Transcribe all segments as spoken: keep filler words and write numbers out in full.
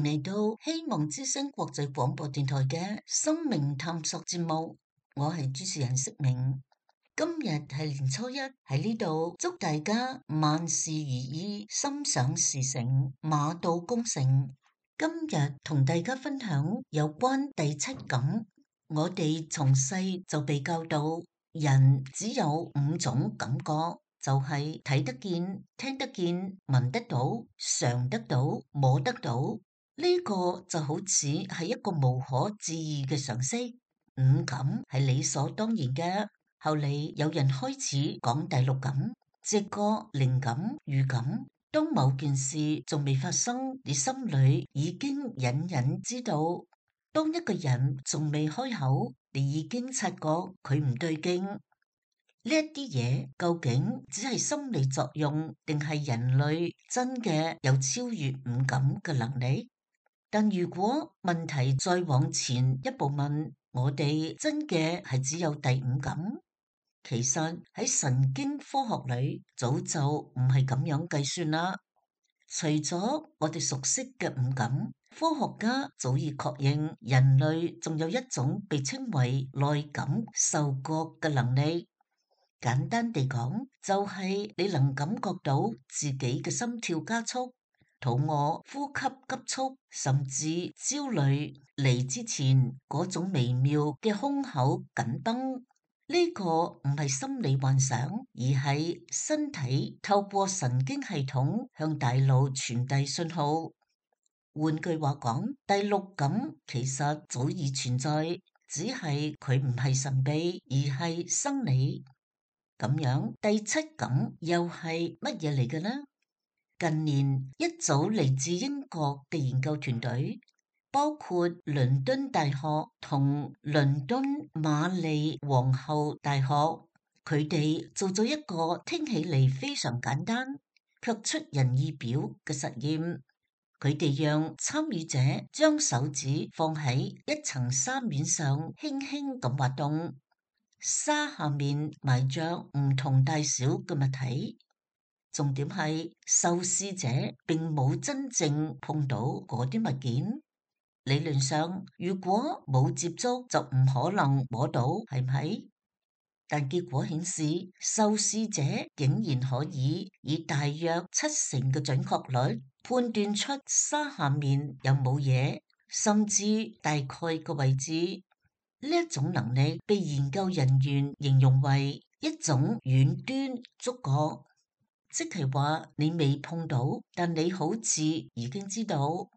迎嚟到希望之聲國際廣播電台嘅生命探索節目，我係主持人釋明。今日係年初一，喺呢度祝大家萬事如意，心想事成，馬到功成。今日同大家分享有關第七感。我哋從細就被教導，人只有五種感覺，就係睇得見、聽得見、聞得到、嘗得到、摸得到。呢個就好似係一個無可置疑嘅常識，五感係理所當然嘅。後嚟有人開始講第六感，直覺、靈感、預感。當某件事仲未發生，你心裏已經隱隱知道；當一個人仲未開口，你已經察覺佢唔對勁。呢一啲嘢究竟只係心理作用，定係人類真嘅有超越五感嘅能力？但如果問題再往前一步問，我哋真嘅係只有第五感？其實喺神經科學裏早就唔係咁樣計算啦。除咗我哋熟悉嘅五感，科學家早已確認人類仲有一種被稱為內感受覺嘅能力。簡單地講，就係你能感覺到自己嘅心跳加速、肚餓、呼吸急促，甚至焦慮嚟之前嗰種微妙嘅胸口緊繃。呢個唔係心理幻想，而係身體透過神經系統向大腦傳遞信號。換句話講，第六感其實早已存在，只係佢唔係神秘，而係生理。咁樣，第七感又係乜嘢嚟嘅呢？近年一組嚟自英國嘅研究團隊，包括倫敦大學同倫敦瑪麗皇后大學，佢哋做咗一個聽起嚟非常簡單卻出人意表嘅實驗。佢哋讓參與者將手指放喺一層沙面上，輕輕咁滑動，沙下面埋着唔同大小嘅物體。重點係受試者並冇真正碰到嗰啲物件。理論上，如果冇接觸就唔可能摸到，係咪？但結果顯示，受試者竟然可以以大約七成嘅準確率判斷出沙下面有冇嘢，甚至大概嘅位置。呢一種能力被研究人員形容為一種遠端觸覺，即係話你未碰到，但你好似已經知道。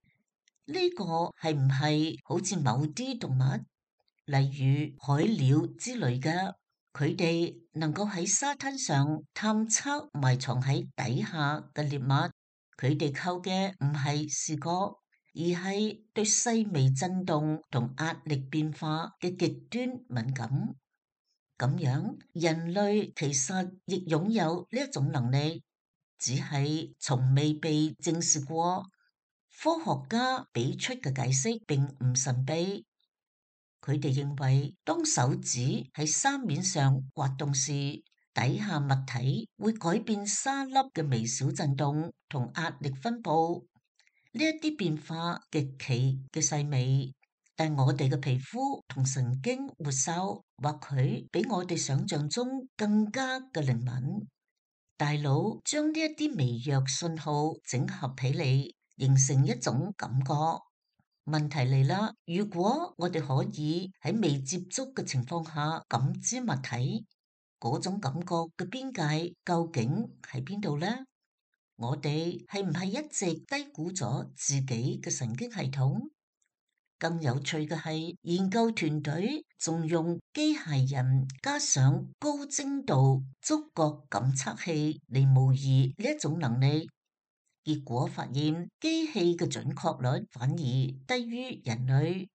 呢個係唔係好似某啲動物，例如海鳥之類嘅，佢哋能夠喺沙灘上探測埋藏喺底下嘅獵物，佢哋靠嘅唔係視覺，而係對細微震動同壓力變化嘅極端敏感。咁樣，人類其實亦擁有呢一種能力，只係從未被證實過。科學家俾出嘅解釋並唔神秘，佢哋認為當手指喺沙面上滑動時，底下物體會改變沙粒嘅微小震動同壓力分布。呢一啲變化極其嘅細微，但我哋嘅皮膚同神經末梢或許比我哋想象中更加嘅靈敏。大腦將呢一啲微弱信號整合起嚟，形成一種感覺。問題嚟啦，如果我哋可以喺未接觸嘅情況下感知物體，嗰種感覺嘅邊界究竟喺邊度呢？我哋係唔係一直低估咗自己嘅神經系統？更有趣嘅係，研究團隊仲用機械人加上高精度觸覺感測器嚟模擬呢一種能力。結果發現，機器嘅準確率反而低於人類，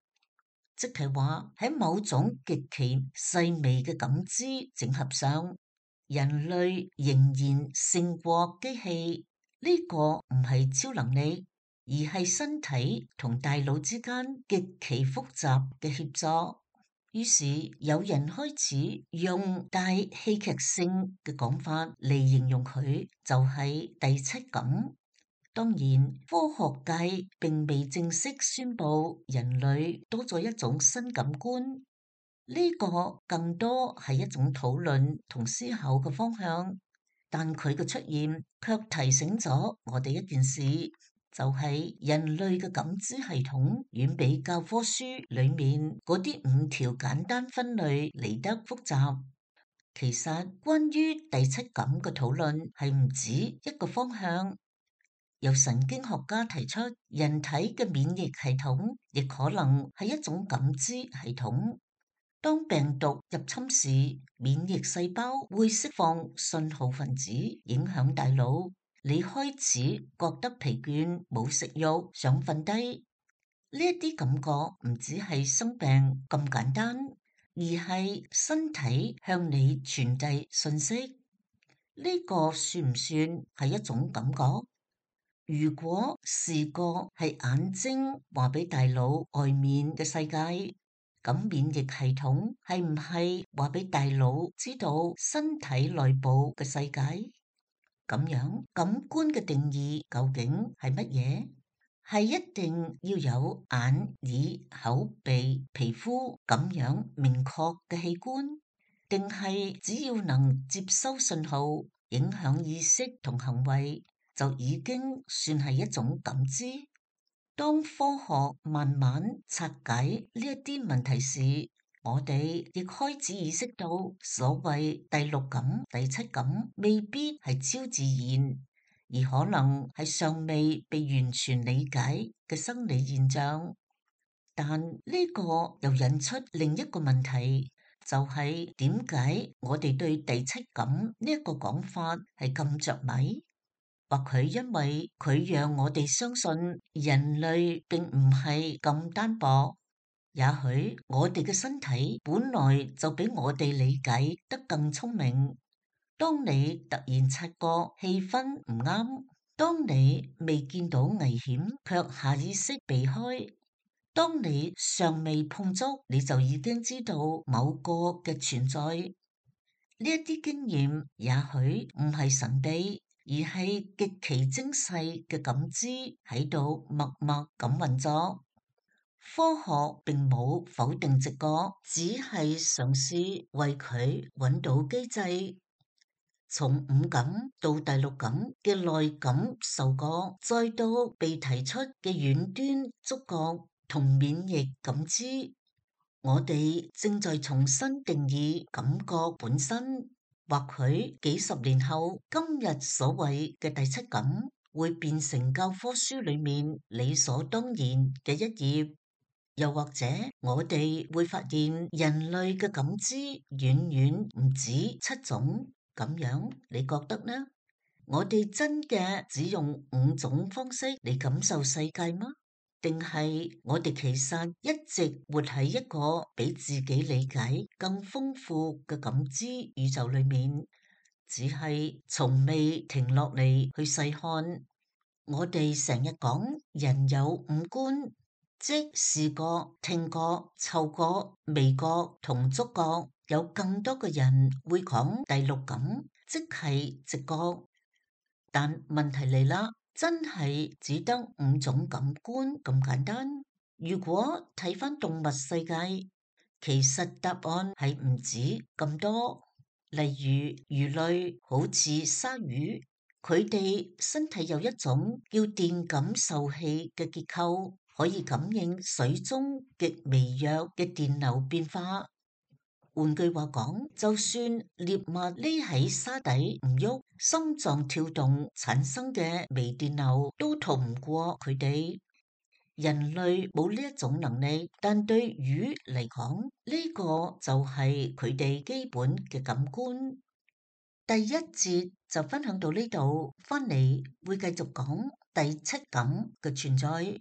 即係話喺某種極其細微嘅感知整合上，人類仍然勝過機器。呢個唔係超能力，而係身體同大腦之間極其複雜嘅協作。於是有人開始用帶戲劇性嘅講法嚟形容佢，就係第七感。當然，科學界並未正式宣布人類多咗一種新感官，呢個更多係一種討論同思考嘅方向。但佢嘅出現卻提醒咗我哋一件事，就係人類嘅感知系統遠比教科書裡面嗰啲五條簡單分類嚟得複雜。其實關於第七感嘅討論係唔止一個方向。由神經學家提出，人體嘅免疫系統亦可能係一種感知系統。當病毒入侵時，免疫細胞會釋放信號分子，影響大腦。你開始覺得疲倦、冇食慾、想瞓低。呢一啲感覺唔只係生病咁簡單，而係身體向你傳遞信息。呢個算唔算係一種感覺？如果視覺係眼睛話俾大腦外面嘅世界，咁免疫系統係唔係話俾大腦知道身體內部嘅世界？咁樣感官嘅定義究竟係乜嘢？係一定要有眼、耳、口、鼻、皮膚咁樣明確嘅器官，定係只要能接收信號，影響意識同行為，就已經算係一種感知？當科學慢慢拆解呢一啲問題時，我哋亦開始意識到，所謂第六感、第七感未必係超自然，而可能係尚未被完全理解嘅生理現象。但呢個又引出另一個問題，就係點解我哋對第七感呢一個講法係咁着迷？或許因為佢讓我哋相信人類並唔係咁單薄，也許我哋嘅身體本來就比我哋理解得更聰明。當你突然察覺氣氛唔啱，當你未見到危險卻下意識避開，當你尚未碰觸你就已經知道某個嘅存在，呢一啲經驗也許唔係神秘，而係極其精細嘅感知喺度默默咁運作。科學並冇否定直覺，只係嘗試為佢揾到機制。從五感到第六感嘅內感受覺，再到被提出嘅遠端觸覺同免疫感知，我哋正在重新定義感覺本身。或許幾十年後，今日所謂嘅第七感會變成教科書裏面理所當然嘅一頁，又或者我哋會發現人類嘅感知遠遠唔止七種。咁樣你覺得呢？我哋真嘅只用五種方式嚟感受世界嗎？定係我哋其實一直活喺一個比自己理解更豐富嘅感知宇宙裏面，只係從未停落嚟去細看。我哋成日講人有五官，即視覺、聽覺、嗅覺、味覺同觸覺。有更多嘅人會講第六感，即係直覺。但問題嚟啦。真係只得五種感官咁簡單？如果睇返動物世界，其實答案係唔止咁多。例如魚類，好似鯊魚，佢哋身體有一種叫電感受器嘅結構，可以感應水中極微弱嘅電流變化。換句話講，就算獵物匿喺沙底唔喐，心臟跳動產生嘅微電流都逃唔過佢哋。人類冇呢一種能力，但對魚嚟講，呢個就係佢哋基本嘅感官。第一節就分享到呢度，翻嚟會繼續講第七感嘅存在。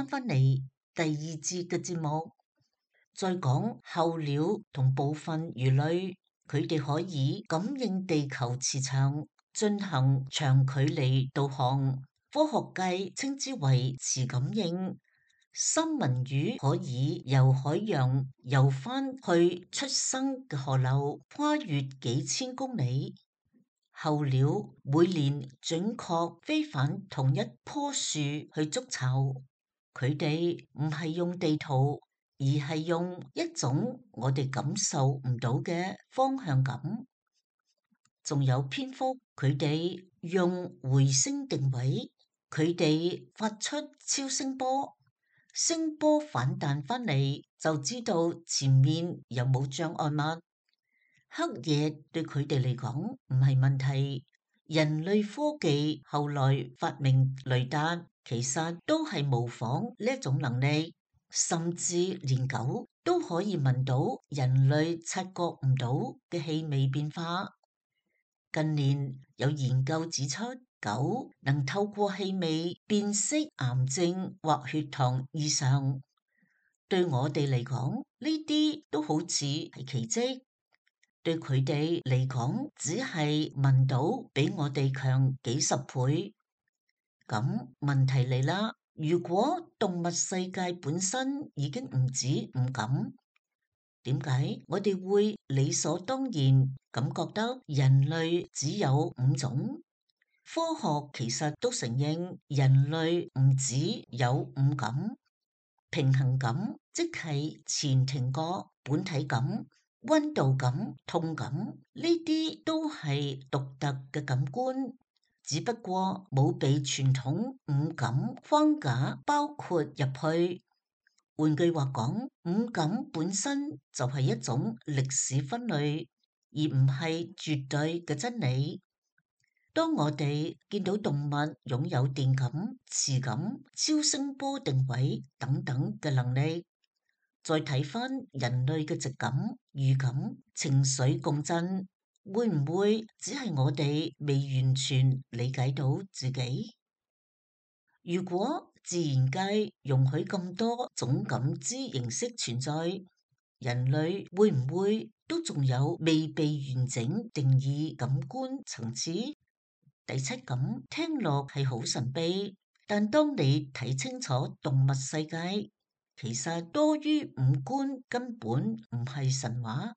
翻返嚟第二節嘅節目，再講候鳥同部分魚類，佢哋可以感應地球磁場，進行長距離導航，科學界稱之為磁感應。三文魚可以由海洋游翻去出生嘅河流，跨越幾千公里。候鳥每年準確飛返同一棵樹去築巢，佢哋唔係用地圖，而係用一種我哋感受唔到嘅方向感。仲有蝙蝠，佢哋用回聲定位，佢哋發出超聲波，聲波反彈翻嚟就知道前面有冇障礙物。黑夜對佢哋嚟講唔係問題，人類科技後來發明雷達，其實都係模仿呢一種能力，甚至連狗都可以聞到人類察覺唔到嘅氣味變化。近年有研究指出，狗能透過氣味辨識癌症或血糖異常，對我哋嚟講呢啲都好似係奇蹟。對佢哋嚟講，只係聞到比我哋強幾十倍。咁問題嚟啦，如果動物世界本身已經唔止五感，點解我哋會理所當然咁覺得人類只有五種？科學其實都承認人類唔止有五感，平衡感即係前庭覺、本體感、溫度感、痛感，呢啲都係獨特嘅感官，只不過冇被傳統五感框架包括入去。換句話講，五感本身就係一種歷史分類，而唔係絕對嘅真理。當我哋見到動物擁有電感、磁感、超聲波定位等等嘅能力，再睇返人類嘅直感、預感、情緒共振，會唔會只係我哋未完全理解到自己？如果自然界容許咁多種感知形式存在，人類會唔會都仲有未被完整定義感官層次？第七感聽落係好神秘，但當你睇清楚動物世界，其實多於五官根本唔係神話，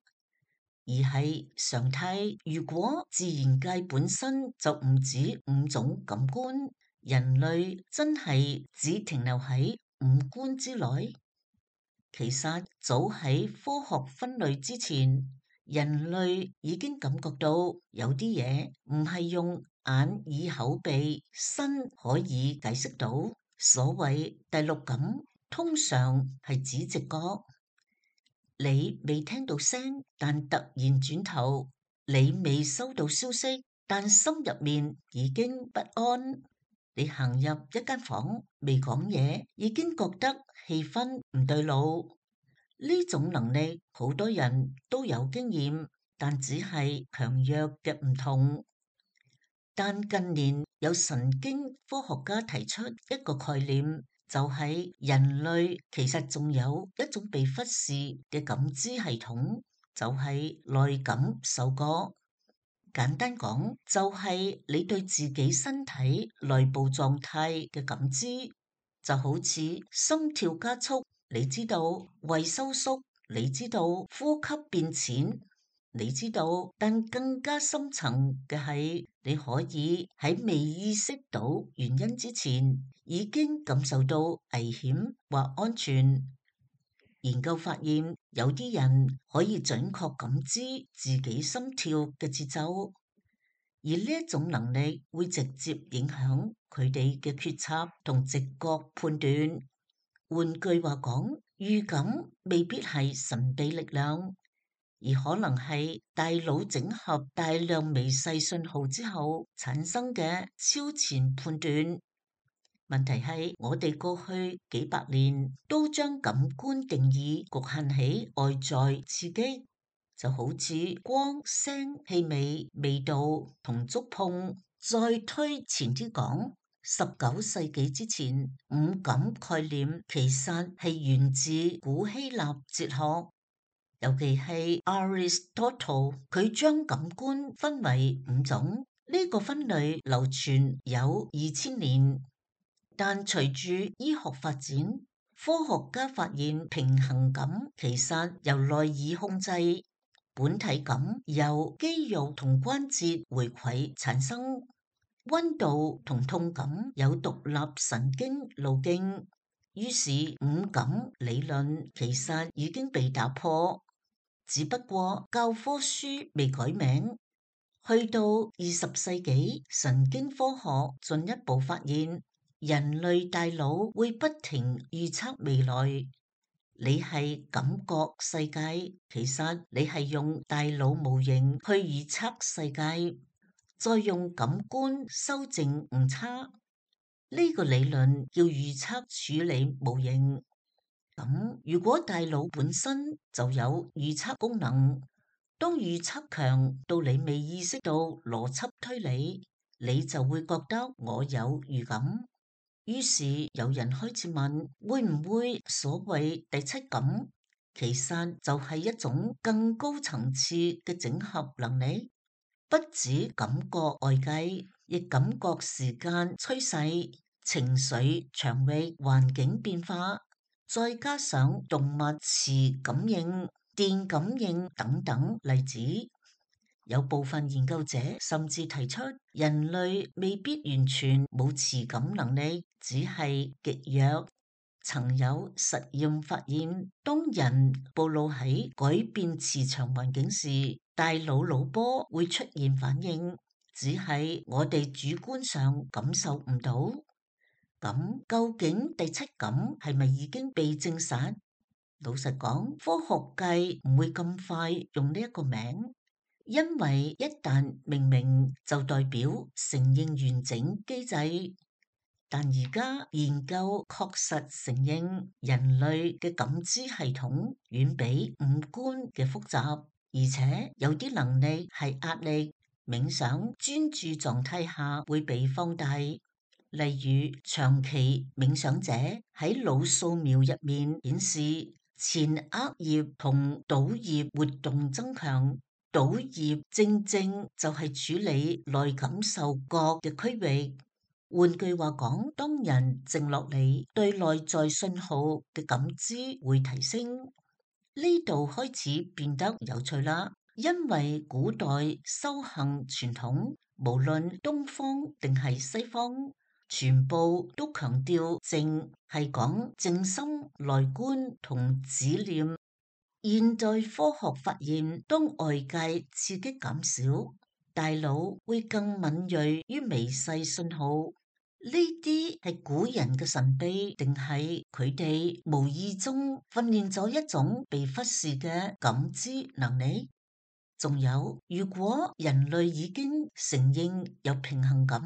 而係常態。如果自然界本身就唔止五種感官，人類真係只停留喺五官之內？其實早喺科學分類之前，人類已經感覺到有啲嘢唔係用眼、耳、口、鼻、身可以解釋到。所謂第六感，通常係指直覺。你未聽到聲，但突然轉頭；你未收到消息，但心入面已經不安。你行入一間房，未講嘢，已經覺得氣氛唔對路。呢種能力好多人都有經驗，但只係強弱嘅唔同。但近年有神經科學家提出一個概念，就係人類其實仲有一種被忽視嘅感知系統，就係內感受覺。簡單講，就係你對自己身體內部狀態嘅感知，就好似心跳加速，你知道；胃收縮，你知道；呼吸變淺，你知道。但更加深層嘅係，你可以喺未意識到原因之前，已經感受到危險或安全。研究發現，有啲人可以準確感知自己心跳嘅節奏，而呢一種能力會直接影響佢哋嘅決策同直覺判斷。換句話講，預感未必係神秘力量，而可能係大腦整合大量微細信號之後產生嘅超前判斷。問題係，我哋過去幾百年都將感官定義局限喺外在刺激，就好似光、聲、氣味、味道同觸碰。再推前啲講，十九世紀之前，五感概念其實係源自古希臘哲學，尤其係 Aristotle， 佢將感官分為五種，呢、這個分類流傳有二千年。但隨住醫學發展，科學家發現平衡感其實由內耳控制，本體感由肌肉同關節回饋產生，溫度同痛感有獨立神經路徑。於是五感理論其實已經被打破，只不過教科書未改名。去到二十世紀，神經科學進一步發現，人類大腦會不停預測未來。你係感覺世界，其實你係用大腦模型去預測世界，再用感官修正誤差。呢個理論叫預測處理模型。咁如果大腦本身就有預測功能，當預測強到你未意識到邏輯推理，你就會覺得我有預感。於是有人開始問，會唔會所謂第七感其實就係一種更高層次嘅整合能力，不止感覺外界，亦感覺時間趨勢、情緒場域、環境變化，再加上動物磁感應、電感應等等例子。有部分研究者甚至提出，人類未必完全冇磁感能力，只係極弱。曾有實驗發現，當人暴露喺改變磁場環境時，大腦腦波會出現反應，只係我哋主觀上感受唔到。咁究竟第七感係咪已經被證實？老實講，科學界唔會咁快用呢一個名，因為一旦命名就代表承認完整機制。但而家研究確實承認，人類嘅感知系統遠比五官嘅複雜，而且有啲能力係壓力、冥想、專注狀態下會被放大。例如長期冥想者喺腦掃描入面顯示，前額葉同島葉活動增強，島葉正正就係處理內感受覺嘅區域。換句話講，當人靜落嚟，對內在信號嘅感知會提升。呢度開始變得有趣啦，因為古代修行傳統，無論東方定係西方，全部都強調靜，係講靜心內觀同止念。現代科學發現，當外界刺激減少，大腦會更敏銳於微細信號。呢啲係古人嘅神秘，定係佢哋無意中訓練咗一種被忽視嘅感知能力？仲有，如果人類已經承認有平衡感、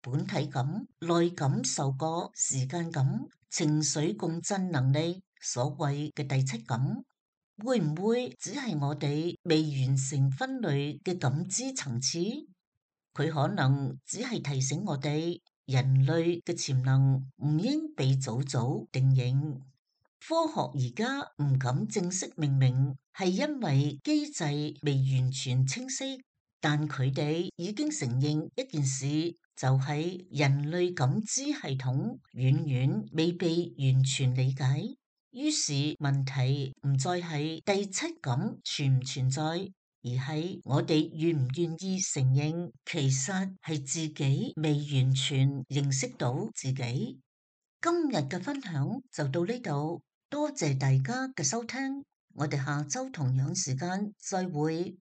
本體感、內感受覺、時間感、情緒共振能力，所謂嘅第七感，會唔會只係我哋未完成分類嘅感知層次？佢可能只係提醒我哋，人類嘅潛能唔應被早早定型。科學而家唔敢正式命名，係因為機制未完全清晰，但佢哋已經承認一件事，就係人類感知系統遠遠未被完全理解。於是問題唔再係第七感存唔存在，而係我哋願唔願意承認，其實係自己未完全認識到自己。今日嘅分享就到呢度。多謝大家嘅收聽，我哋下周同樣時間再會。